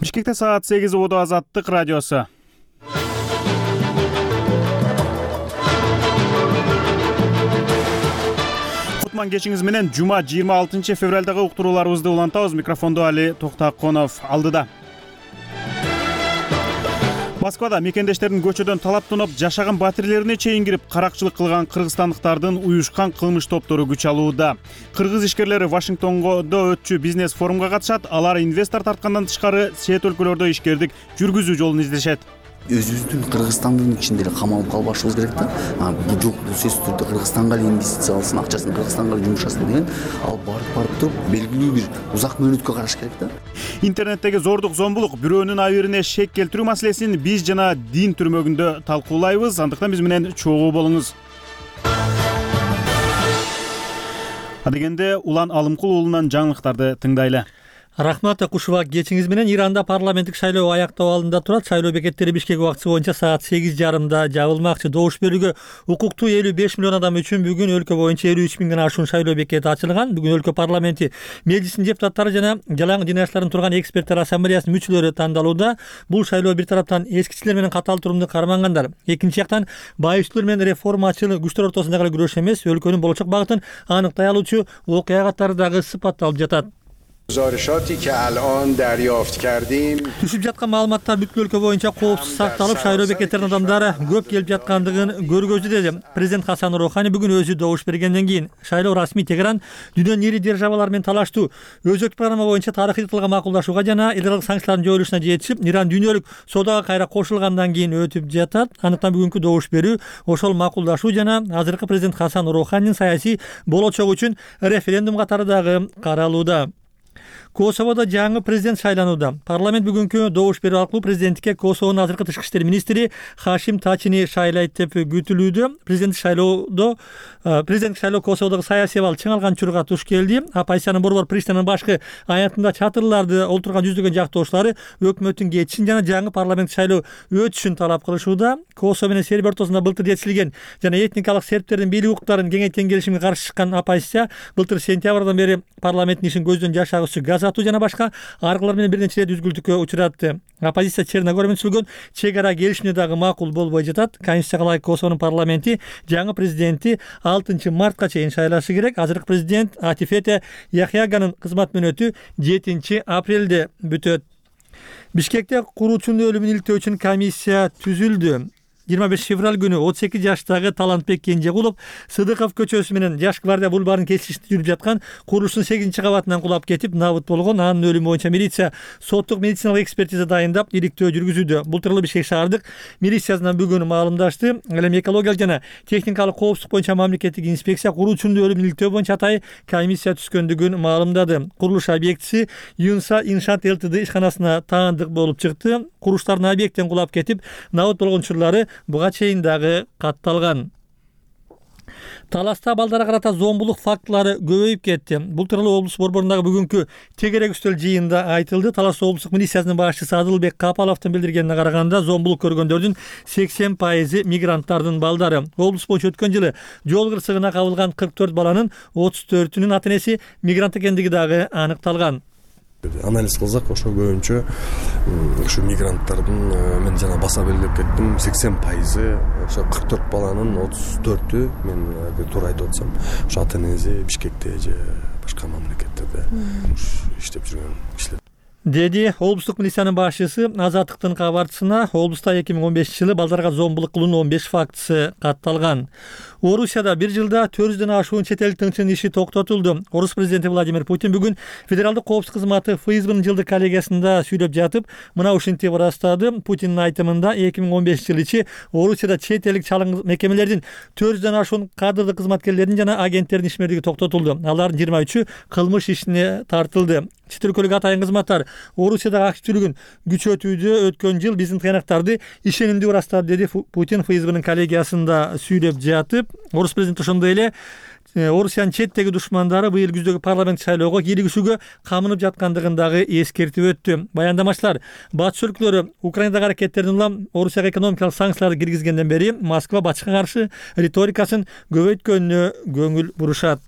Бишкекте саат 8 убада Азаттык радиосу. Кутман кечиңиз менен жума 26 февралдагы уктурууларыбызды улантабыз. Микрофондо Али Токтаконов алдыда. Москвада мекендештердин көчөдөн талап тонноп жашаган батирлерине чейин кирип каракчылык кылган кыргызстандыктардын уюшкан кылмыш топтору күч алууда. Кыргыз ишкерлери Вашингтондо өтчү бизнес форумга катышат. Алар инвестор тарткандан тышкары чет өлкөлөрдө ишкердик жүргүзүү жолун издешет. Өзүбүздүн Кыргызстандын ичинде эле камалып калбашыбыз керек да. Бул жок, сөзсүз түрдө Кыргызстанга эле инвестиция алсын, акчасын Кыргызстанга жумшасын деген, ал барып туруп белгилүү бир узак мөөнөткө караш керек да. Интернеттеги зордук зомбулук, бирөөнүн абийирине шек келтирүү маселесин биз жана дин түрмөгүндө талкуулайбыз. Андыктан биз менен чогуу болуңуз. Адегенде Улан Алымкул уулунан жаңылыктарды тыңдайлы. Рахмат Акушева, кечиңиз менен Иранда парламенттик шайлоо аяктоо алдында турат. Шайлоо бекеттери Бишкек убактысы боюнча саат 8:30 жабылмакчы. Добуш берүүгө укуктуу 55 миллион адам үчүн бүгүн өлкө боюнча 53 миңден ашуун шайлоо бекети ачылган. Бүгүн өлкө парламенти межлисинин депутаттары жана жалаң дин аштарын турган эксперттер ассамблеясынын мүчөлөрү тандалууда. Бул шайлоо бир тараптан эскичилер менен катаал турумду кармангандар, экинчи жактан байычылар менен реформачыл күчтөр ортосундагы күрөш эмес, өлкөнүн болочок багытын аныктай алуучу окуя катары дагы сыпатталып жатат. Түшүп жаткан маалыматтар бүткүл өлкө боюнча коопсуз сакталып, шайлоо бекеттерине адамдар көп келип жаткандыгын көргөздү деди президент Хасан Рухани бүгүн өзү добуш бергенден кийин. Шайлоо расмий Тегеран дүйнөнүн ири державалар менен талаштуу өзөктүк программа боюнча тарыхый тытылга макулдашууга жана элдик санкциялардын жоюлушуна жетишип, Иран дүйнөлүк соодаға кайра кошулгандан кийин өтүп жатат. Андыктан бүгүнкү добуш берүү ошол макулдашуу жана азыркы президент Хасан Руханинин саясий болочогу үчүн референдум катары дагы каралууда. Косоводо жаңы президент шайланууда. Парламент бүгүнкү добуш берүү аркылуу президенттикке Косовонун азыркы тышкы иштер министри Хашим Тачини шайлайт деп күтүлүүдө. Президенттик шайлоо Косоводогу саясий абал чың алган учурга туш келди. Оппозициянын борбор Приштинанын башкы аянтында чатырларды олтурган жүздөгөн жактоошулары өкмөттүн кетишин жана жаңы парламент шайлоо өтүшүн талап кылышууда. Косово менен Сербия ортосунда былтыр жетишилген жана этникалык сербтердин бийлик укуктарын кеңейткен келишимге каршы чыккан оппозиция былтыр сентябрдан бери парламенттин ишин көздөн жашагычы газ атуу жана башка аркылар менен бир нече рет үзгүлтүккө учуратты. Оппозиция Черногория менен түзүлгөн чек ара келишимине дагы макул болбой жатат. Конституцияга ылайык Косовонун парламенти жаңы президентти 6 мартка чейин шайлашы керек. Азыркы президент Атифете Яхяганын кызмат мөөнөтү 7 апрелде бүтөт. Бишкекте куруучунун өлүмүн илтөө үчүн комиссия түзүлдү. 25 февраль күнү 38 жаштагы Талантбек Кенжегулов Сыдыков көчөсү менен Жаш гвардия бульварын кесиште жүрүп жаткан курулуштун 8 кабатынан кулап кетип набыт болгон. Анын өлүмү боюнча милиция соттук медициналык экспертиза дайындап, иликтөө жүргүзүүдө. Бул тууралуу Бишкек шаардык милициясынан бүгүн маалымдашты. Ал эми экологиялык жана техникалык коопсуздук боюнча мамлекеттик инспекция куруучунун өлүмүн иликтөө боюнча атайын комиссия түзгөндүгүн маалымдады. Курулуш объектиси Юнса Иншаат ЛТД ишканасына таандык болуп чыкты. Курулуштардын объекттен кулап кетип набыт болгон учурлары буга чейин дагы катталган. Таласта балдарга карата зомбулук фактылары көбөйүп кетти. Бул тууралуу облус борборундагы бүгүнкү тегерек үстөл жыйынында айтылды. Талас облустук милициясынын башчысы Адылбек Капаловдун билдиргенине караганда, зомбулук көргөндөрдүн 80% мигранттардын балдары. Облус боюнча өткөн жылы жол кырсыгына кабылган 44 баланын 34-үнүн ата-энеси мигрант экендиги дагы аныкталган. Анализ кылсак, ошо көбүнчө ушу мигранттардын мен жана баса белгилеп кеттим, 80% ошо 44 баланын 34-ü мен туура айтып атсам, ошо ата-энеси Бишкекте же башка мамлекеттерде иштеп жүргөн кишилер. Деди облустук милициянын башчысы Азаттыктын кабарчысына. Облуста 2015-жылы балдарга зомбулук кылуунун 15 фактысы катталган. Орусияда бир жылда 400дөн ашуун чет элдик тыңчынын иши токтотулду. Орус президенти Владимир Путин бүгүн Федералдык коопсуздук кызматы ФСБнын жылдык коллегиясында сүйлөп жатып, мына ушинтип ырастады. Путиндин айтымында 2015 жыл ичи Орусияда чет элдик чалым мекемелердин 400дөн ашуун кадрлык кызматкерлердин жана агенттердин ишмердиги токтотулду. Алардын 23-ü кылмыш ишине тартылды. Чет өлкөлүк атайын кызматтар Орусиядагы активдүүлүгүн күчөтүүдө өткөн жыл биздин тыянактарды ишенимдүү ырастады, деди Путин ФСБнын коллегиясында сүйлөп жатып. Орус президенти ошондой эле Орусиянын четтеги душмандары быйыл күздөгү парламент шайлоого кийлигишүүгө камынып жаткандыгын дагы эскертип өттү. Баяндамачылар батыш өлкөлөрү Украинадагы аракеттердин улам Орусияга экономикалык санкцияларды киргизгенден бери Москва батышка каршы риторикасын көбөйткөнүнө көңүл бурушат.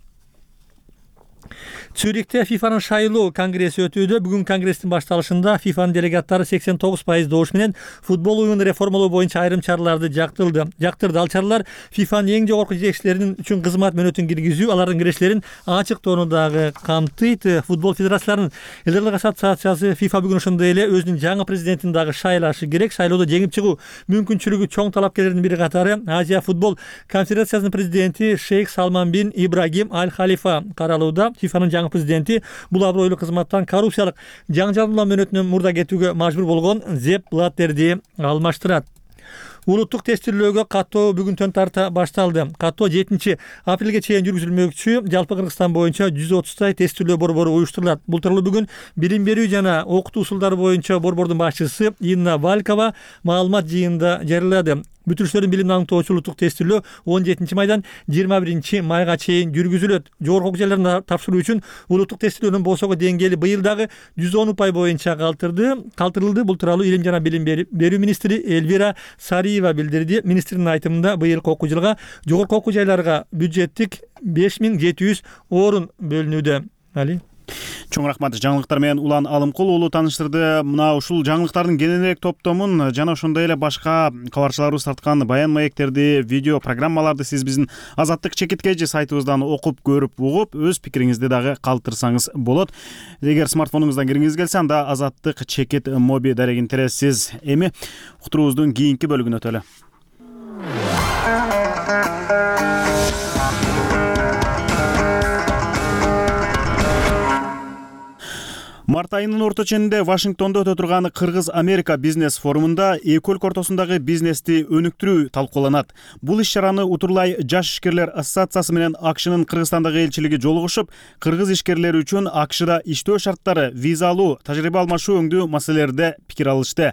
Цюрихте ФИФАнын шайлоо конгресси өтүүдө. Бүгүн конгресстин башталышында ФИФАнын делегаттары 89% добуш менен футбол оюнун реформалоо боюнча айрым чараларды жактырды. Ал чаралар ФИФАнын эң жогорку жетекчилеринин үчүн кызмат мөөнөтүн киргизүү, алардын кирештерин ачыктоону дагы камтыйт. Футбол федерацияларынын элдерлик ассоциациясы ФИФА бүгүн ошондой эле өзүнүн жаңы президентин дагы шайлашы керек. Шайлоодо жеңип чыгуу мүмкүнчүлүгү чоң талапкерлердин бири катары Азия футбол конфедерациясынын президенти Шейх Салман бин Ибрагим Аль Халифа каралууда. ФИФАнын жаңы президенти бул абройлуу кызматтан коррупциялык жаңжалдоо мөөнөтүнөн мурда кетүүгө мажбур болгон Зеп Блаттерди алмаштырат. Улуттук тестирлөөгө каттоо бүгүнтөн тарта башталды. Каттоо 7 апрелге чейин жүргүзүлмөкчү. Жалпы Кыргызстан боюнча 130 тестирлөө борбору уюштурулат. Бул тууралуу бүгүн билим берүү жана окутуу усулдары боюнча борбордун башчысы Инна Валькова маалымат жыйынында жарыялады. Бүтүрүштөрдүн билимин аныктоочу улуттук тестирлөө 17 майдан 21 майга чейин жүргүзүлөт. Жогорку окуу жайларына тапшыруу үчүн улуттук тестирлөөнүн босого деңгээли быйыл дагы 110 упай боюнча калтырылды. Бул тууралуу Илим жана билим берүү министри Эльвира Сариева билдирди. Министрдин айтымында быйылкы окуу жылга жогорку окуу жайларга бюджеттик 5700 орун бөлүнүүдө. Али Чоң рахмат. Жаңылыктар менен Улан Алымкул уулу тааныштырды. Мына ушул жаңылыктардын кененирээк топтомун жана ошондой эле башка кабарчыларыбыз тарткан баян маектерди, видео программаларды сиз биздин Азаттык чекиткежи сайтыбыздан окуп, көрүп, угуп, өз пикириңизди дагы калтырсаңыз болот. Эгер смартфонуңуздан киргиңиз келсе, анда Азаттык чекит моби дарегин тересиз. Эми уктуруубуздун кийинки бөлүгүнө өтөлү. Март айынын орто ченинде Вашингтондо өтө турган Кыргыз-Америка бизнес форумунда эки өлкө ортосундагы бизнести өнүктүрүү талкууланат. Бул иш-чараны Утурлай жаш ишкерлер ассоциациясы менен АКШнын Кыргызстандагы элчилиги жолугушуп, кыргыз ишкерлери үчүн АКШда иштөө шарттары, виза алуу, тажрыйба алмашуу өңдүү маселелерде пикир алышты.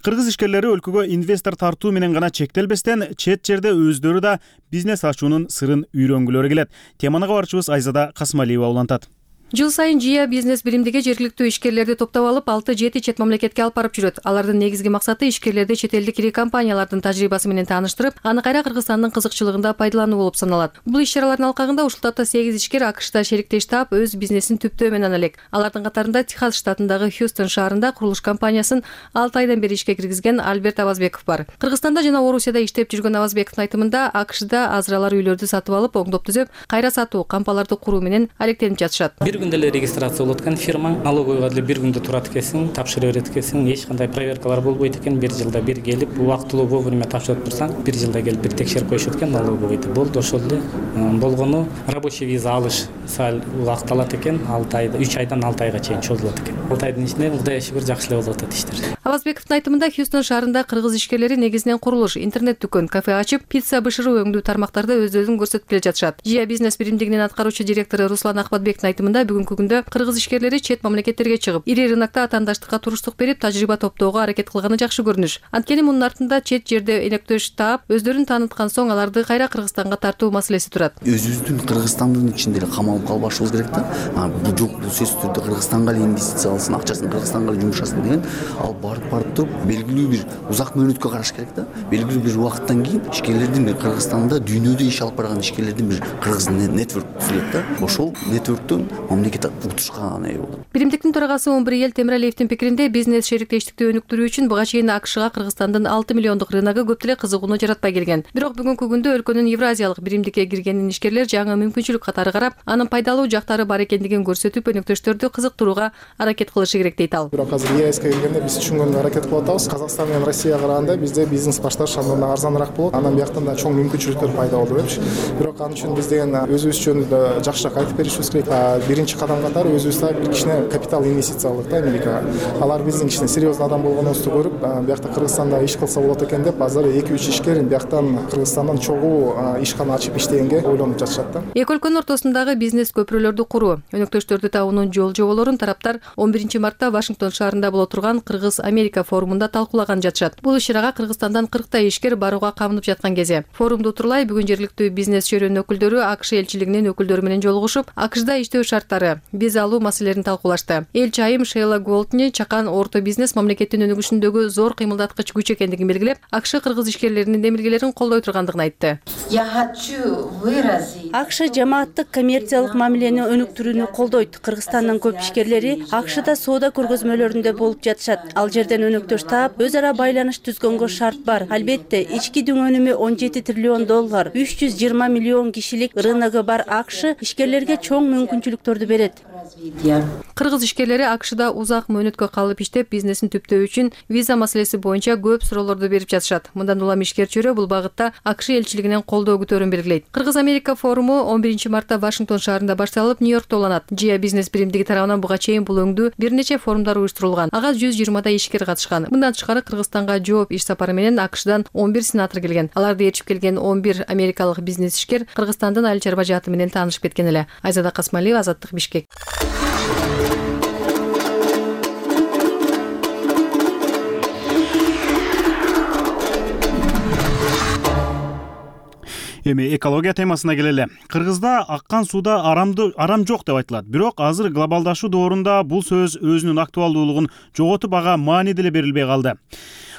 Кыргыз ишкерлери өлкөгө инвестор тартуу менен гана чектелбестен, чет жерде өздөрү да бизнес ачуунун сырын үйрөнгүлөрү келет. Теманы кабарчыбыз Айзада Касмалиева улантат. Жыл сайын ЖИА бизнес биримдиги жергиликтүү ишкерлерди топтоп алып 6-7 чет мамлекетке алып барып жүрөт. Алардын негизги максаты ишкерлерди чет элдик ири компаниялардын тажрыйбасы менен тааныштырып, аны кайра Кыргызстандын кызыкчылыгында пайдалануу болуп саналат. Бул иш-чаралардын алкагында ушул тапта 8 ишкер АКШда шериктеш таап, өз бизнесин түптөө менен элек. Алардын катарында Техас штатындагы Хьюстон шаарында курулуш компаниясын 6 айдан бери ишке киргизген Альберт Авазбеков бар. Кыргызстанда жана Орусияда иштеп жүргөн Авазбековдун айтымында АКШда азыралар үйлөрдү сатып алып, оңдоп түзөп, кайра сатуу, кампаларды куруу менен алектенип жатышат. Бир күндө эле регистрация болот экен фирма, налоговойго деле бир күндө турат экенсиң, тапшырып берет экенсиң, эч кандай проверкалар болбойт экен. Бир жылда бир келип, убактылуу вовремя тапшырып турсаң, бир жылда келип бир текшерип коюшат экен налоговойду. Болду ошол эле. Болгону рабочий виза алыш сал убакыт алат экен, 6 айда, 3 айдан 6 айга чейин чозулат экен. 6 айдын ичинде Кудайга шүгүр жакшы эле болуп атат иштер. Авазбековдун айтымында Хьюстон шаарында кыргыз ишкерлери негизинен курулуш, интернет дүкөн, кафе ачып, пицца бышыруу өңдүү тармактарда өздөрүн көрсөтүп келе жатышат. ЖИА бизнес биримдигинин аткаруучу директору Руслан Ахматбектин айтымында бүгүнкү күндө кыргыз ишкерлери чет мамлекеттерге чыгып, ири рынокто атаандаштыкка туруштук берип, тажрыйба топтоого аракет кылганы жакшы көрүнүш. Анткени мунун артында чет жерде энектөш таап, өздөрүн тааныткан соң аларды кайра Кыргызстанга тартуу маселеси турат. Өзүбүздүн Кыргызстандын ичинде эле камалып калбашыбыз керек да. Бул жок, бул сөзсүз түрдө Кыргызстанга эле инвестиция алсын, акчасын Кыргызстанга эле жумшасын деген, ал барып туруп белгилүү бир узак мөөнөткө караш керек да. Белгилүү бир убакыттан кийин ишкерлердин бир Кыргызстанда дүйнөдө иш алып барган ишкерлердин бир кыргыз нетворк түзүлөт да. Ошол нетворктон мамлекет утушка ээ болот. Биримдиктин төрагасы Омбриел Темиралиевдин пикиринде бизнес шериктештикти өнүктүрүү үчүн буга чейин АКШга Кыргызстандын 6 миллиондук рыногу көп деле кызыгууну жаратпай келген. Бирок бүгүнкү күндө өлкөнүн Евразиялык биримдикке киргенин ишкерлер жаңы мүмкүнчүлүк катары карап, анын пайдалуу жактары бар экендигин көрсөтүп, өнөктөштөрдү кызыктырууга аракет кылышы керек дейт ал. Бирок азыр ЕСК келгенде биз түшүнгөнгө аракет кылып атабыз. Казакстан менен Россияга караганда бизде бизнес башташ андан арзаныраак болот. Анан бияктан да чоң мүмкүнчүлүктөр пайда болду депчи. Бирок ал үчүн биз деген өзүбүз жөнүндө жакшыраак айтып беришибиз керек. Биринчи кадам катары өзүбүз бир кичине капитал инвестиция кылдык да Америкага. Алар биздин кичине серьезный адам болгонубузду көрүп, биякта Кыргызстанда иш кылса болот экен деп, азыр 2-3 ишкер бияктан Кыргызстандан чогуу ишкана ачып иштегенге ойлонуп жатышат да. Эки өлкөнүн ортосундагы бизнес көпүрөлөрдү куруу, өнөктөштөрдү табуунун жол-жоболорун тараптар 11 мартта Вашингтон шаарында боло турган Кыргыз-Америка форумунда талкуулаган жатышат. Бул иш-чарага Кыргызстандан 40 ишкер барууга камынып жаткан кезде. Форумду Утурлай бүгүн жергиликтүү бизнес чөйрөнүн өкүлдөрү АКШ элчилигинин өкүлдөрү менен жолугушуп, АКШда иштөө шарттары, виза алуу маселелерин талкуулашты. Элчи айым Шейла Голтни чакан орто бизнес мамлекеттин өнүгүшүндөгү зор кыймылдаткыч күч экендигин белгилеп, АКШ кыргыз ишкерлеринин демилгелерин колдой тургандыгын айтты. АКШ жамааттык коммерциялык мамилени өнүктүрүүнү колдойт. Кыргызстандын көп ишкерлери АКШда соода көргөзмөлөрүндө болуп жатышат. Ал жерден өнөктөш таап, өз ара байланыш түзгөнгө шарт бар. Албетте, ички дүң өнүмү $17 триллион, 320 миллион кишилик рыногу бар АКШ ишкерлерге чоң мүмкүнчүлүктөрдү берет. Кыргыз ишкерлери АКШда узак мөөнөткө калып иштеп, бизнесин түптөө үчүн виза маселеси боюнча көп суроолорду берип жатышат. Мындан улам ишкер чөйрө бул багытта АКШ элчилигинен колдоо күтөөрүн белгилейт. Кыргыз-Америка форуму 11 мартта Вашингтон шаарында башталып, Нью-Йоркто уланат. Жия бизнес биримдиги тарабынан буга чейин бул өңдүү бир нече форумдар уюштурулган. Ага 120 ишкер катышкан. Мындан тышкары Кыргызстанга жооп иш сапары менен АКШдан 11 сенатор келген. Аларды ээрчип келген 11 америкалык бизнес ишкер Кыргызстандын айыл чарба жааты менен таанышып кеткен эле. Айзада Касмалиева, Азаттык, Бишкек. Эми экология темасына келели. Кыргызда аккан сууда арам жок деп айтылат. Бирок азыр глобалдашуу доорунда бул сөз өзүнүн актуалдуулугун жоготуп, ага маани деле берилбей калды.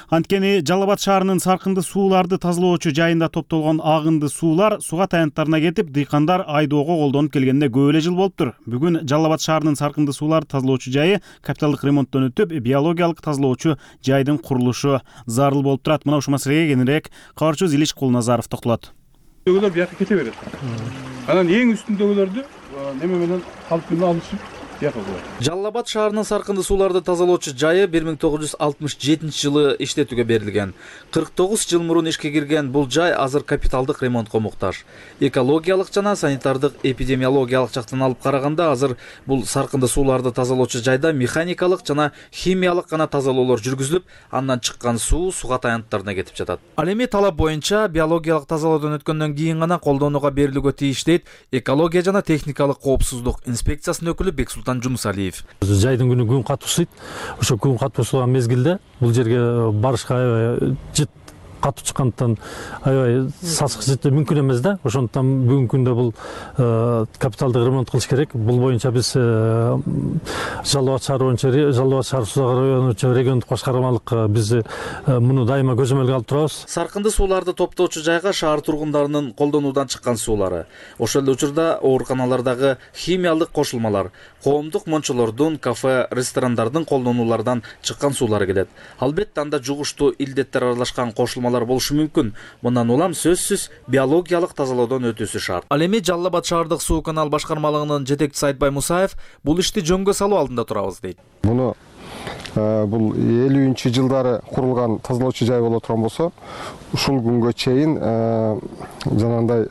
Анткени Жалал Абад шаарынын саркынды сууларды тазалоочу жайында топтолгон агынды суулар суга таянттарына кетип, дыйкандар айдоого колдонуп келгенине көп эле жыл болуптур. Бүгүн Жалал Абад шаарынын саркынды сууларды тазалоочу жайы капиталдык ремонттон өтүп, биологиялык тазалоочу жайдын курулушу зарыл болуп турат. Мына ушул маселеге кененирээк кабарчыбыз Илич Кулназаров токтолот. Дөгөлөр бияка кете берет. Анан эң үстүндөгүлөрдү неме менен калп менен алышып Жалал Абад шаарынын саркынды сууларды тазалоочу жайы 1967 жылы иштетүүгө берилген. 49 жыл мурун ишке кирген бул жай азыр капиталдык ремонтко муктаж. Экологиялык жана санитардык эпидемиологиялык жактан алып караганда азыр бул саркынды сууларды тазалоочу жайда механикалык жана химиялык гана тазалоолор жүргүзүлүп, андан чыккан суу суга таянттарына кетип жатат. Ал эми талап боюнча биологиялык тазалоодон өткөндөн кийин гана колдонууга берилүүгө тийиш дейт экология жана техникалык коопсуздук инспекциясынын өкүлү Бексултан Жумусалиев. Жайдын күн катуусуйт. Ошо күн катуусуган мезгилде бул жерге барышка жыт катуу чыккандыктан аябай сасык жыты мүмкүн эмес да. Ошондуктан бүгүнкү күндө бул капиталдык ремонт кылыш керек. Бул боюнча биз Жалал Абад шаары боюнча Жалал Абад шаар суу району региондук башкармалык биз муну дайыма көзөмөлгө алып турабыз. Саркынды сууларды топтоочу жайга шаар тургундарынын колдонуудан чыккан суулары, ошол эле учурда ооруканалардагы химиялык кошулмалар, коомдук мончолордун, кафе, ресторандардын колдонуулардан чыккан суулары келет. Албетте анда жугуштуу илдеттер аралашкан кошулмалар болушу мүмкүн. Мындан улам сөзсүз биологиялык тазалоодон өтүүсү шарт. Ал эми Жалал Абад шаардык суу канал башкармалыгынын жетекчиси Айтбай Мусаев бул ишти жөнгө салуу алдында турабыз дейт. Муну бул 50-жылдары курулган тазалоочу жай боло турган болсо, ушул күнгө чейин жанагындай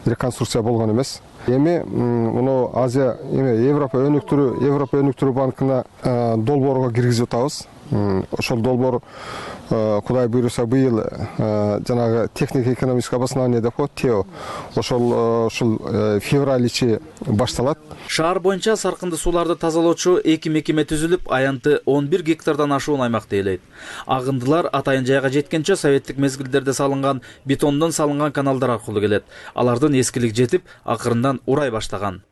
реконструкция болгон эмес. Эми муну Азия Европа өнүктүрүү банкына долбоорго киргизип атабыз. Ошол долбоор Кудай буйруса быйыл жанагы технико-экономическое обоснование деп коет, ТЭО. Ошол февраль ичи башталат. Шаар боюнча саркынды сууларды тазалоочу 2 мекеме түзүлүп, аянты 11 гектардан ашуун аймакты ээлейт. Агындылар атайын жайга жеткенче советтик мезгилдерде салынган бетондон салынган каналдар аркылуу келет. Алардын эскилик жетип, акырындан урай баштаган.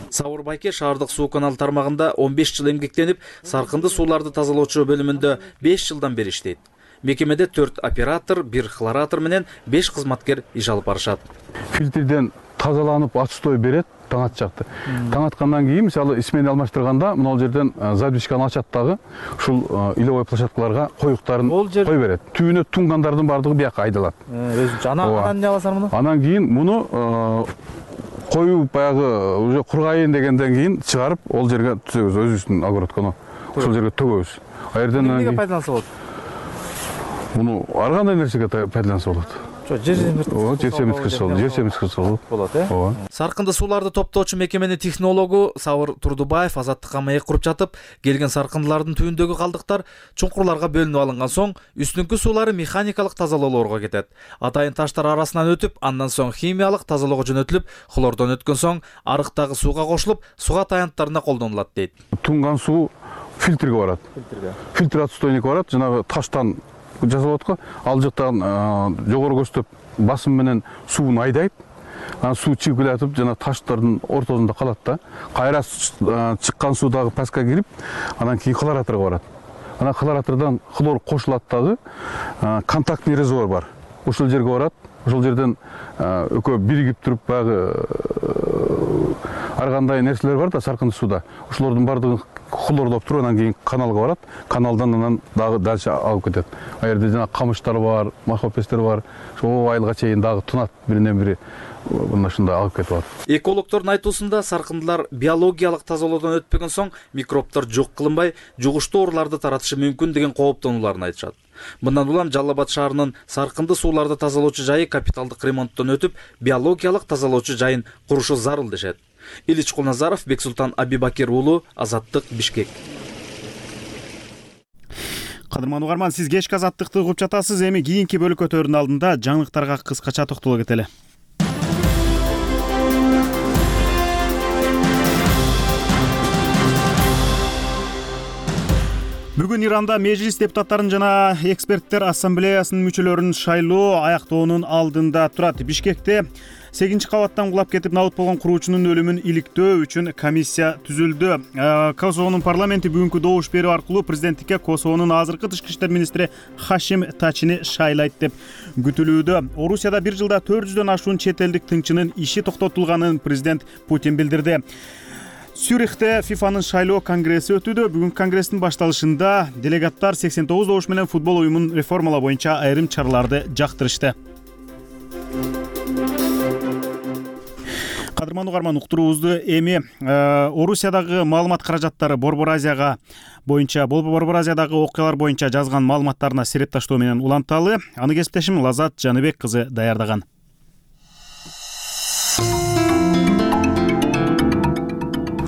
Сауыр Байке шаардык суу канал тармагында 15 жыл эмгектенип, саркынды сууларды тазалоочу бөлүмүндө 5 жылдан бери иштейт. Мекемеде 4 оператор, 1 хлоратор менен 5 кызматкер иш алып барышат. Фильтрден тазаланып отстой берет таң атчакты. Таң аткандан кийин мисалы смена алмаштырганда могул жерден задвижканы ачат дагы ушул иловой площадкаларга коюктарын кой берет. Түбүнө тунгандардын бардыгы бияка айдалат. Анан эмне кыласыңар муну? Анан кийин муну коюп баягы уже кургайын дегенден кийин чыгарып ол жерге түзөбүз, өзүбүздүн огородкону. Ошол жерге төгөбүз. Эмнеге пайдаланса болот? Муну ар кандай нерсеге пайдаланса болот. Жер семизгичи болот, э? Саркынды сууларды топтоочу мекеменин технологу Сауыр Турдубаев азаттыкка маек куруп жатып, келген саркындылардын түбүндөгү калдыктар чуңкурларга бөлүнүп алынган соң, үстүңкү суулары механикалык тазалоолорго кетет. Атайын таштар арасынан өтүп, андан соң химиялык тазалоого жөнөтүлүп, хлордон өткөн соң арыктагы сууга кошулуп, суга таянттарына колдонулат дейт. Тунган суу фильтрге барат. Фильтр отстойник барат, жанагы таштан жасалат го. Ал жактан жогору көздөп басым менен суун айдайт. Анан суу чыгып келатып, жана таштардын ортосунда калат да. Кайра чыккан суу дагы паска кирип, анан кийин хлораторго барат. Анан хлоратордон хлор кошулат дагы контактный резервуар бар. ошол жерге барат. Ошол жерден экөө биригип туруп баягы ар кандай нерселер бар да саркынды сууда. Ошолордун баардыгын хлордоп туруп анан кийин каналга барат. Каналдан анан дагы дальше алып кетет. Ал жерде жана камыштар бар, махопестер бар. Ошол айылга чейин дагы тунат биринен бири мына ушундай алып кетип атат. Экологдордун айтуусунда саркындылар биологиялык тазалоодон өтпөгөн соң микробдор жок кылынбай, жугуштуу ооруларды таратышы мүмкүн деген кооптонууларын айтышат. Мындан улам Жалал Абад шаарынын саркынды сууларды тазалоочу жайы капиталдык ремонттон өтүп, биологиялык тазалоочу жайын курушу зарыл дешет. Илич Кулназаров, Бексултан Абибакир уулу, Азаттык, Бишкек. Кадырман угарман, сиз кечки Азаттыкты угуп жатасыз. Эми кийинки бөлүкөтөрдүн алдында жаңылыктарга кыскача токтоло кетели. Бүгүн Иранда Мejlis депутаттарын жана эксперттер ассамблеясынын мүчөлөрүн шайлоо аяктоонун алдында турат. Бишкекте 8-чи кабаттан кулап кетип набыт болгон куруучунун өлүмүн иликтөө үчүн комиссия түзүлдү. Косовонун парламенти бүгүнкү добуш берүү аркылуу президенттикке Косовонун азыркы тышкы иштер министри Хашим Тачини шайлайт деп күтүлүүдө. Орусияда 1 жылда 400дөн ашуун чет элдик тыңчынын иши токтотулганын президент Путин билдирди. Цюрихте ФИФАнын шайлоо конгресси өтүүдө. Бүгүн конгресстин башталышында делегаттар 89 добуш менен футбол уюмун реформалоо боюнча айрым чараларды жактырышты. Кадырман угарман, уктуруубузду эми Орусиядагы маалымат каражаттары Борбор Азиядагы окуялар боюнча жазган маалыматтарына серепташтоо менен уланталы. Аны кесиптешим Лазат Жаныбек кызы даярдаган.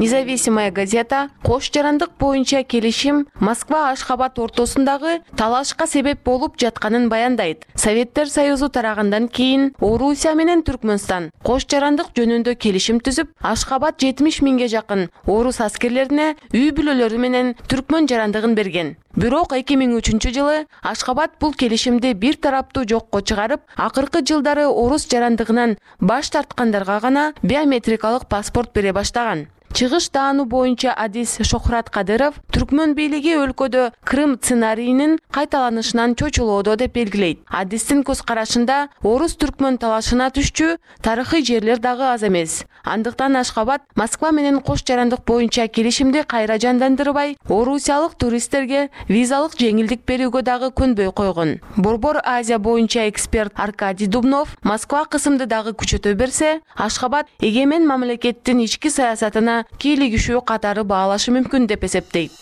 Независимая газета кош жарандык боюнча келишим Москва-Ашхабад ортосундагы талашка себеп болуп жатканын баяндайт. Советтер Союзу тарагандан кийин Орусия менен Түркмөнстан кош жарандык жөнүндө келишим түзүп, Ашхабад 70 миңге жакын орус аскерлерине үй бүлөлөрү менен түркмөн жарандыгын берген. Бирок 2003 жылы Ашхабад бул келишимди бир тараптуу жокко чыгарып, акыркы жылдары орус жарандыгынан баш тарткандарга гана биометрикалык паспорт бере баштаган. Чыгыш дааны боюнча адис Шохрат Кадыров түркмөн бийлиги өлкөдө Крым сценарийинин кайталанышынан чочулоодо деп белгилейт. Адистин көз карашында орус түркмөн талашына түшчү тарыхый жерлер дагы аз эмес. Андыктан Ашхабад Москва менен кош жарандык боюнча келишимди кайра жандандырбай, орусиялык туристтерге визалык жеңилдик берүүгө дагы көнбөй койгон. Борбор Азия боюнча эксперт Аркадий Дубнов Москва кысымды дагы күчөтө берсе, Ашхабад эгемен мамлекеттин ички саясатына кийлигишүү катары баалашы мүмкүн деп эсептейт.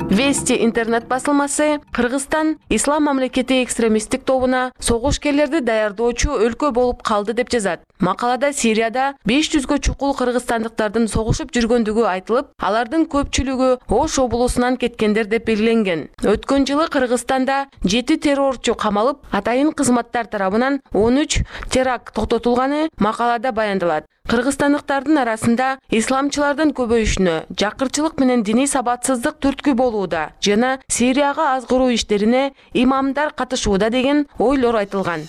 Вести интернет басылмасы Кыргызстан ислам мамлекети экстремисттик тобуна согушкерлерди даярдоочу өлкө болуп калды деп жазат. Макалада Сирияда 500гө чукул кыргызстандыктардын согушуп жүргөндүгү айтылып, алардын көпчүлүгү Ош облусунан кеткендер деп белгиленген. Өткөн жылы Кыргызстанда 7 террорчу камалып, атайын кызматтар тарабынан 13 теракт токтотулганы макалада баяндалат. Кыргызстандыктардын арасында исламчылардын көбөйүшүнө, жакырчылык менен диний сабатсыздык түрткү болууда жана Сирияга азгыруу иштерине имамдар катышууда деген ойлор айтылган.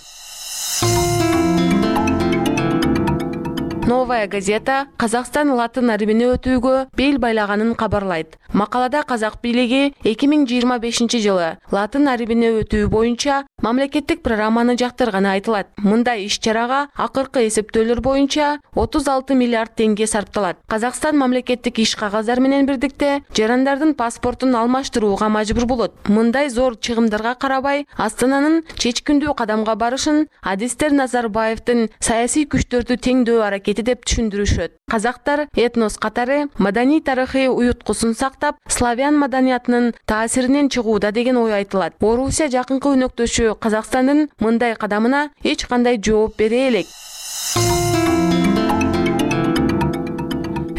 Новая газета Казакстан латын арбини өтүүгө бел байлаганын кабарлайт. Макалада казак бийлиги 2025 жылы латын арбини өтүү боюнча мамлекеттик программаны жактырганы айтылат. Мындай иш-чарага акыркы эсептөөлөр боюнча 36 миллиард теңге сарпталат. Казакстан мамлекеттик иш кагаздар менен бирдикте жарандардын паспортун алмаштырууга мажбур болот. Мындай зор чыгымдарга карабай, Астананын чечкиндүү кадамга барышын адистер Назарбаевдин саясий күчтөрдү теңдөө аракети деп түшүндүрүшөт. Казактар этнос катары маданий тарыхый уюткусун сактап, славян маданиятынын таасиринен чыгууда деген ой айтылат. Орусия жакынкы өнөктөшү Казакстандын мындай кадамына эч кандай жооп бере элек.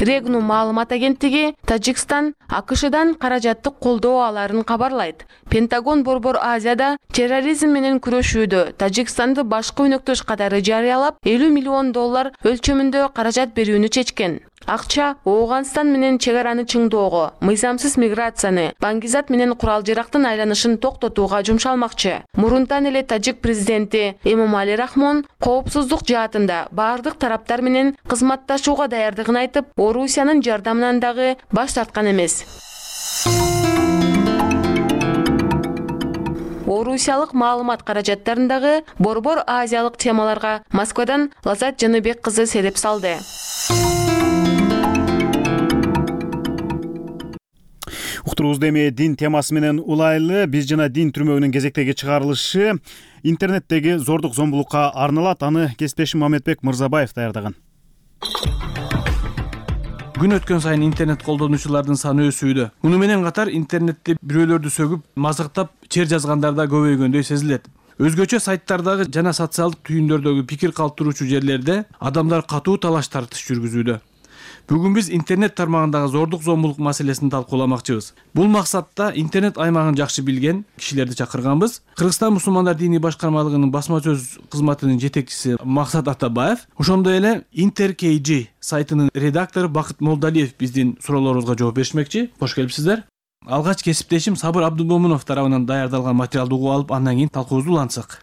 Регну маалымат агенттиги Тажикстан АКШдан каражаттык колдоо аларын кабарлайт. Пентагон Борбор Азияда терроризм менен күрөшүүдө Тажикстанды башкы өнөктөш катары жарыялап, $50 миллион өлчөмүндө каражат берүүнү чечкен. Акча Ооганстан менен чек араны чыңдоого, мыйзамсыз миграцияны, баңгизат менен курал жарактын айланышын токтотууга жумшалмакчы. Мурунтан эле тажик президенти Эмомали Рахмон коопсуздук жаатында баардык тараптар менен кызматташууга даярдыгын айтып, Орусиянын жардамынан дагы баш тарткан эмес. Орусиялык маалымат каражаттарындагы борбор азиялык темаларга Москвадан Лазат Жаныбек кызы селеп салды. Уктуруубузду эми дин темасы менен улайлы. Биз жана дин түрмөгүнүн кезектеги чыгарылышы интернеттеги зордук зомбулукка арналат. Аны кесиптешим Мамедбек Мырзабаев даярдаган. Күн өткөн сайын интернет колдонуучулардын саны өсүүдө. Муну менен катар интернетте бирөөлөрдү сөгүп, мазыктап чер жазгандар да көбөйгөндөй сезилет. Өзгөчө сайттардагы жана социалдык түйүндөрдөгү пикир калтыруучу жерлерде адамдар катуу талаш тартыш жүргүзүүдө. Бүгүн биз интернет тармагындагы зордук зомбулук маселесин талкууламакчыбыз. Бул максатта интернет аймагын жакшы билген кишилерди чакырганбыз. Кыргызстан мусулмандар диний башкармалыгынын басма сөз кызматынын жетекчиси Максат Атабаев, ошондой эле InterKG сайтынын редактору Бакыт Молдалиев биздин суроолорубузга жооп беришмекчи. Кош келипсиздер. Алгач кесиптешим Сабыр Абдулмомунов тарабынан даярдалган материалды угуп алып, андан кийин талкуубузду улантсак.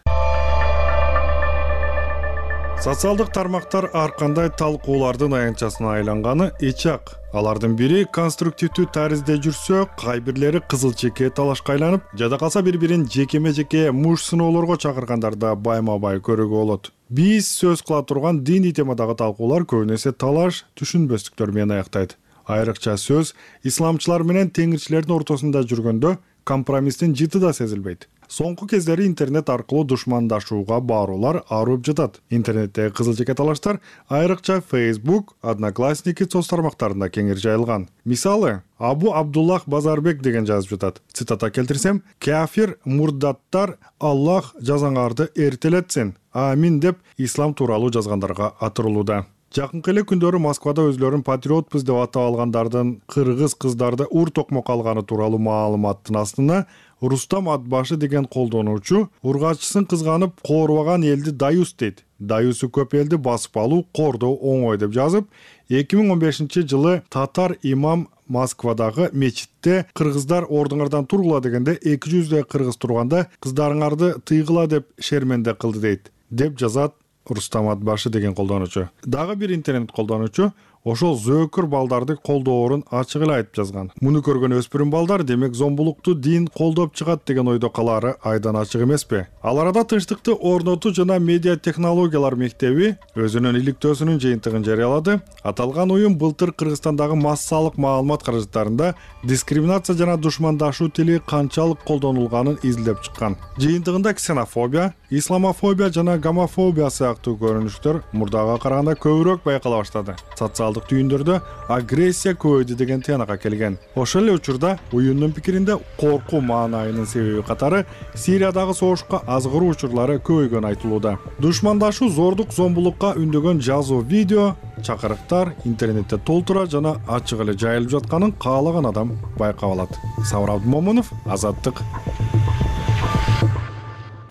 Социалдык тармактар ар кандай талкуулардын аянтчасына айланганы эч-ак. Алардын бири конструктивдүү таризде жүрсө, кайбирлери кызыл чекке талашка айланып, жада калса бири-бирин жекеме-жеке муш сыноолорго чакыргандарда байма-бай көрүүгө болот. Биз сөз кыла турган диний темадагы талкуулар көбүнесе талаш, түшүнбөстүктөр менен аяктайт. Айрыкча сөз исламчылар менен теңирчилердин ортосунда жүргөндө компромисстин жыты да сезилбейт. Соңку кездери интернет аркылуу душмандашууга баруулар арып жатат. Интернеттеги кызыл чеке талаштар айрыкча Facebook, Одноклассники соц тармактарында кеңири жайылган. Мисалы, Абу Абдуллах Базарбек деген жазып жатат. Цитата келтирсем: "Кафир мурдаттар Аллах жазаңарды эртелетсин. Амин" деп ислам тууралуу жазгандарга атырылууда. Жакынкы эле күндөрү Москвада өзлөрүн патриотпуз деп атап алгандардын кыргыз кыздарды ур токмок алганы тууралуу маалыматтын астына Рустам Атбашы деген колдонуучу ургачысын кызганып коорубаган элди даюс дейт. Даюсу көп элди басып алуу кордоо оңой деп жазып, 2015-жылы татар имам Москвадагы мечитте кыргыздар ордуңардан тургула дегенде 200 кыргыз турганда кыздарыңарды тыйгыла деп шерменде кылды дейт, деп жазат Рустам Атбашы деген колдонуучу. Дагы бир интернет колдонуучу ошол зөөкүр балдарды колдоорун ачык эле айтып жазган. Муну көргөн өспүрүм балдар демек зомбулукту дин колдоп чыгат деген ойдо калаары айдан ачык эмеспи? Ал арада Тынчтыкты орнотуу жана медиа технологиялар мектеби өзүнүн иликтөөсүнүн жыйынтыгын жарыялады. Аталган уюм былтыр Кыргызстандагы массалык маалымат каражаттарында дискриминация жана душмандашуу тили канчалык колдонулганын изилдеп чыккан. Жыйынтыгында ксенофобия, исламофобия жана гомофобия сыяктуу көрүнүштөр мурдага караганда көбүрөөк байкала баштады. Социалдык түйүндөрдө агрессия көбөйдү деген тыянакка келген. Ошол эле учурда уюмдун пикиринде коркуу маанайынын себеби катары Сириядагы согушка азгыруу учурлары көбөйгөнү айтылууда. Душмандашуу зордук зомбулукка үндөгөн жазуу, видео, чакырыктар интернетте толтура жана ачык эле жайылып жатканын каалаган адам байкап алат. Сабыр Абдулмомунов, Азаттык.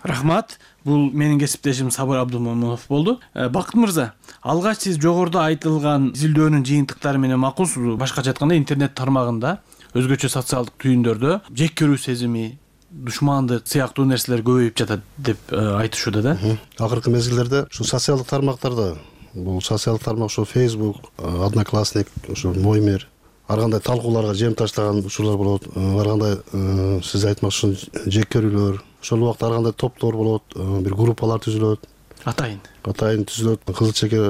Рахмат. Бул менин кесиптешим Сабыр Абдулмомунов болду. Бакыт мырза, алгач сиз жогоруда айтылган изилдөөнүн жыйынтыктары менен макулсузбу? Башкача айтканда интернет тармагында өзгөчө социалдык түйүндөрдө жек көрүү сезими, душмандык сыяктуу нерселер көбөйүп жатат деп айтышууда да. Акыркы мезгилдерде ушу социалдык тармактарда, бул социалдык тармак ушу Facebook, Одноклассник, ушу Мой мир ар кандай талкууларга жем таштаган учурлар болот. Ар кандай сиз айтмакчы жек көрүүлөр, ошол убакта ар кандай топтор болот, бир группалар түзүлөт. Атайын түзүлөт. Кызыл чеке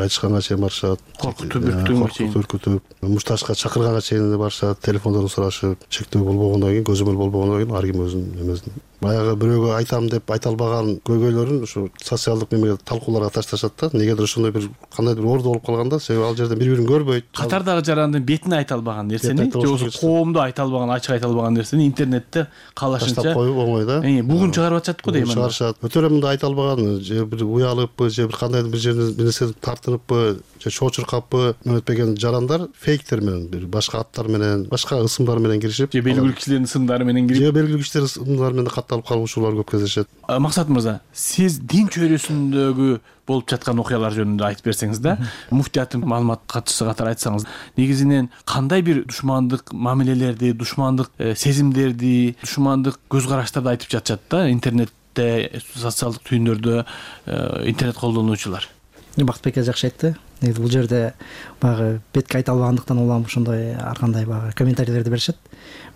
айтышканга чейин барышат. Коркутуп, мушташка чакырганга чейин барышат. Телефондон сурашып, чектөө болбогондон кийин, көзөмөл болбогондон кийин ар ким өзүнүн эмесин. Баягы бирөөгө айтам деп айта албаган көйгөйлөрүн ушу социалдык немеге талкууларга ташташат да. Негедир ошондой бир кандайдыр орду болуп калганда, себеби ал жерде бири-бирин көрбөйт. Катардагы жарандын бетине айта албаган нерсени, же коомдо айта албаган, ачык айта албаган нерсени интернетте каалашынча таштап коюп оңой да. Бугун чыгарып атышат го дейм анда. Чыгарышат. Өтөрө мында айта албаган, же бир уялыппы, же бир кандайдыр бир жерден бир нерсе тартыныппы, же чочуркаппы өтпеген жарандар фейктер менен, бир башка аттар менен, башка ысымдар менен киришип, же белгилүү кишилердин ысымдары менен кирип, же белгилүү кишилердин ысымдары менен катталып калуу учурлар көп кездешет. Максат мырза, сиз дин чөйрөсүндөгү болуп жаткан окуялар жөнүндө айтып берсеңиз да, муфтияттын маалымат катчысы катары айтсаңыз, негизинен кандай бир душмандык мамилелерди, душмандык сезимдерди, душмандык көз караштарды айтып жатышат да интернетте, социалдык түйүндөрдө интернет колдонуучулар? Бактыбек жакшы айтты. Негизи бул жерде баягы бетке айта албагандыктан улам ошондой ар кандай баягы комментарийлерди беришет.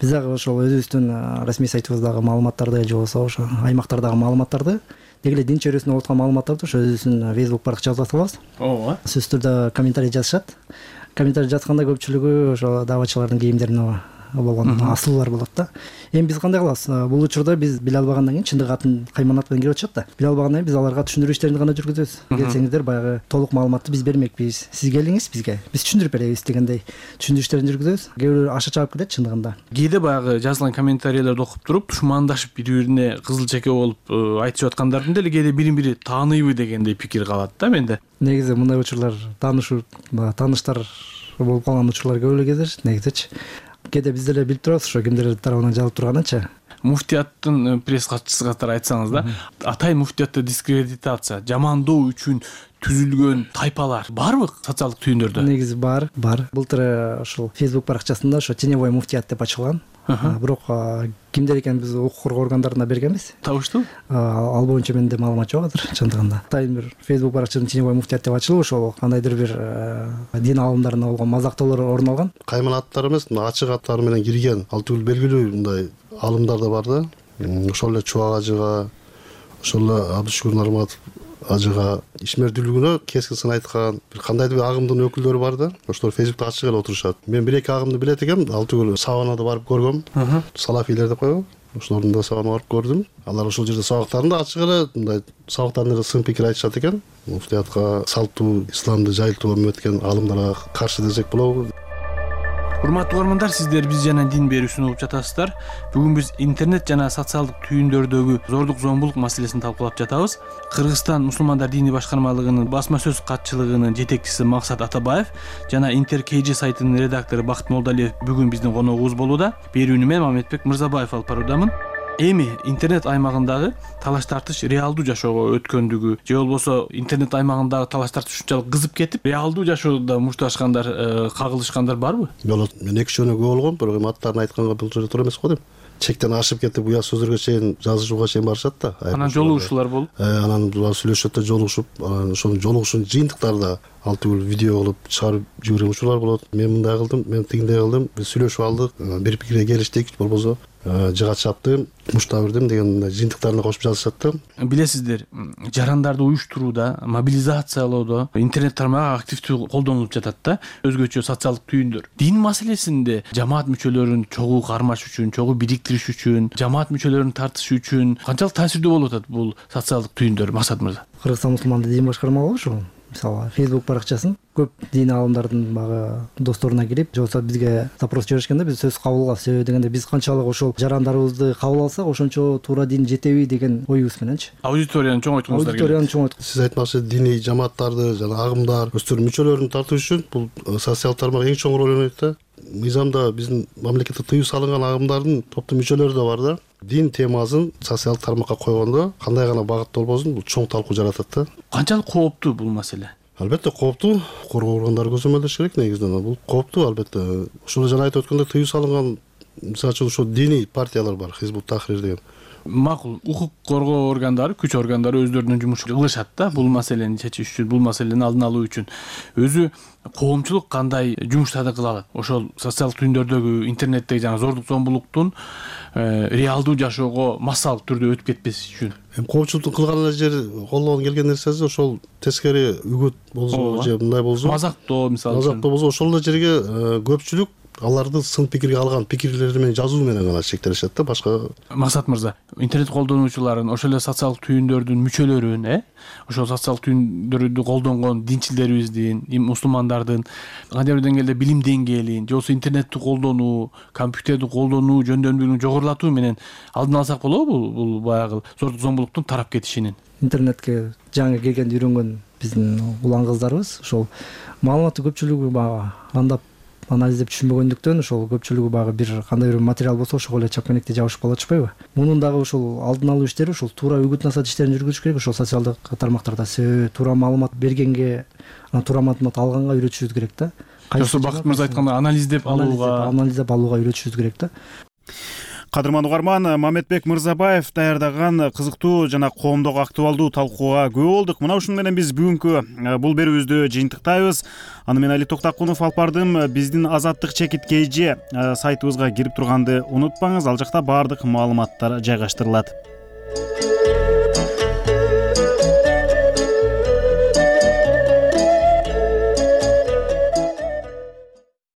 Биз дагы ошол өзүбүздүн расмий сайтыбыздагы маалыматтарды же болбосо ошо аймактардагы маалыматтарды деги эле дин чөйрөсүндө болуп аткан маалыматтарды ошо өзүбүздүн Facebook баракчабызга салабыз. Ооба. Сөзсүз түрдө комментарий жазышат. Комментарий жазганда көпчүлүгү ошо дааватчылардын кийимдерине болгон асылуулар болот да. Эми биз кандай кылабыз? Бул учурда биз биле албагандан кийин чындык атын кайманат менен кирип атышат да. Биле албагандан кийин биз аларга түшүндүрүү иштерин гана жүргүзөбүз. Келсеңиздер баягы толук маалыматты биз бермекпиз. Сиз келиңиз бизге. Биз түшүндүрүп беребиз дегендей түшүндүрүү иштерин жүргүзөбүз. Кээ бирөө аша чаап кетет чындыгында. Кээде баягы жазылган комментарийлерди окуп туруп тушмандашып бири-бирине кызыл чеке болуп айтышып аткандардын деле кээде бирин-бири тааныйбы дегендей пикир калат да менде. Негизи мындай учурлар тааныштар болуп калган учурлар көп эле кездешет негизичи. Кээде биз деле билип турабыз ошо кимдер тарабынан жазылып турганынчы. Муфтияттын пресс катчысы катары айтсаңыз да, атайын муфтиятты дискредитация, жамандоо үчүн түзүлгөн тайпалар барбы социалдык түйүндөрдө? Негизи бар. Былтыр ошол Facebook баракчасында ошо теневой муфтият деп ачылган. Бирок кимдер экенин биз укук коргоо органдарына бергенбиз. Табыштуу? Ал боюнча менде маалымат жок азыр чындыгында. Атайын бир Facebook баракчасында теневой муфтият деп ачылып, ошол кандайдыр бир дин аалымдарына болгон мазактоолор орун алган. Кайман аттар эмес, ачык аттар менен кирген ал түгүл белгилүү мындай аалымдар да бар да. Ошол эле Чубак ажыга, ошол эле Абдышүкүр Нарматов ажыга ишмердүүлүгүнө кескин сын айткан бир кандайдыр бир агымдын өкүлдөрү бар да. Ошолор Facebook'та ачык эле отурушат. Мен бир эки агымды билет экенмин, ал түгүл Саванада барып көргөм. Салафилер деп коебу. Ошолордун да сабагына барып көрдүм. Алар ошол жерде сабактарында ачык эле мындай сабактарында сын пикир айтышат экен. Муфтиятка салттуу исламды жайылтууга өмөткен аалымдарга каршы десек болобу? Урматтуу угармандар, сиздер биз жана дин берүүсүн угуп жатасыздар. Бүгүн биз интернет жана социалдык түйүндөрдөгү зордук зомбулук маселесин талкуулап жатабыз. Кыргызстан мусулмандар диний башкармалыгынын басма сөз катчылыгынын жетекчиси Максат Атабаев жана Интер-KG сайтынын редактору Бакыт Молдалиев бүгүн биздин коногубуз болууда. Берүүнү мен Мамедбек Мырзабаев алып баруудамын. Эми интернет аймагындагы талаш тартыш реалдуу жашоого өткөндүгү же болбосо интернет аймагындагы талаш тартыш ушунчалык кызып кетип, реалдуу жашоодо мушташкандар, кагылышкандар барбы? Болот. Мен эки жөнү көп болгом, бирок эми аттарын айтканга бул жерде туура эмес го дейм. Чектен ашып кетип, уя сөздөргө чейин жазышууга чейин барышат да. Анан жолугушуулар болуп, анан сүйлөшөт да, жолугушуп, ошонун жолугушуунун жыйынтыктарда ал түгүл видео кылып чыгарып жиберген учурлар болот. Мен мындай кылдым, мен тигиндей кылдым, биз сүйлөшүп алдык, бир пикирге келиштик, болбосо жыга чаптым, мушта бердим деген жыйынтыктарына кошуп жазышат да. Билесиздер, жарандарды уюштурууда, мобилизациялоодо интернет тармагы активдүү колдонулуп жатат да, өзгөчө социалдык түйүндөр. Дин маселесинде жамаат мүчөлөрүн чогуу кармаш үчүн, чогуу бириктириш үчүн, жамаат мүчөлөрүн тартыш үчүн канчалык таасирдүү болуп атат бул социалдык түйүндөр, Максат мырза? Кыргызстан мусулмандар дин башкармалыгы ошол мисалы Facebook баракчасын көп дин аалымдардын багы досторуна кирип, же болбосо бизге запрос жиберишкенде биз сөз кабыл алабыз. Себеби дегенде биз канчалык ошол жарандарыбызды кабыл алсак, ошончо туура дин жетеби деген оюбуз мененчи. Аудиторияны чоңойткуңуздар келет. Аудиторияны чоңойткун. Сиз айтканча диний жамааттарды жана агымдар өздөрүнүн мүчөлөрүн тартуу үчүн бул социалдык тармак эң чоң роль ойнойт да. Мыйзамда биздин мамлекетте тыюу салынган агымдардын топтун мүчөлөрү да бар да. Дин темасын социалдык тармакка койгондо кандай гана багытта болбосун бул чоң талкуу жаратат да. Канчалык кооптуу бул маселе? Албетте кооптуу. Коргоо органдары көзөмөлдөш керек негизинен. Бул кооптуу албетте. Ошол жана айтып өткөндөй тыюу салынган, мисалы үчүн ошо диний партиялар бар, Хизбут Тахрир деген. Макул, укук коргоо органдары, күч органдары өздөрүнүн жумушун кылышат да, бул маселени чечиш үчүн, бул маселени алдын алуу үчүн. Өзү коомчулук кандай жумуштарды кыла алат? Ошол социалдык түйүндөрдөгү интернеттеги жана зордук зомбулуктун реалдуу жашоого массалык түрдө өтүп кетпес үчүн. Эми коомчулуктун кылган эле жери, колдон келген нерсеси ошол тескери үгүт болсо же мындай болсо, мазактоо мисалы үчүн. Мазактоо болсо ошол эле жерге көпчүлүк аларды сын пикирге алган пикирлери менен жазуу менен гана чектелишет да, башка. Максат мырза, интернет колдонуучуларын, ошол эле социалдык түйүндөрдүн мүчөлөрүн, ошол социалдык түйүндөрдү колдонгон динчилерибиздин, мусулмандардын кандайдыр деңгээлде билим деңгээлин, же болбосо интернетти колдонуу, компьютерди колдонуу жөндөмдүүлүгүн жогорулатуу менен алдын алсак болобу бул баягы зордук зомбулуктун тарап кетишинин? Интернетке жаңы келгенде үйрөнгөн биздин улан кыздарыбыз ошол маалыматты көпчүлүгү баягы андап анализдеп түшүнбөгөндүктөн ошол көпчүлүгү баягы бир кандай бир материал болсо ошого эле чапкенекти жабышып калып атышпайбы? Мунун дагы ошол алдын алуу иштери, ошол туура үгүт насаат иштерин жүргүзүш керек. Ошол социалдык тармактарда туура маалымат бергенге, туура маалымат алганга үйрөтүшүбүз керек да. Жоксо Бакыт мырза айткандай анализдеп алууга үйрөтүшүбүз керек да. Кадырман угарман, Мамедбек Мырзабаев даярдаган кызыктуу жана коомдук актуалдуу талкууга күбө болдук. Мына ушуну менен биз бүгүнкү бул берүүбүздү жыйынтыктайбыз. Аны мен Али Токтакунов алып бардым. Биздин Азаттык чекит KG сайтыбызга кирип турганды унутпаңыз. Ал жакта баардык маалыматтар жайгаштырылат.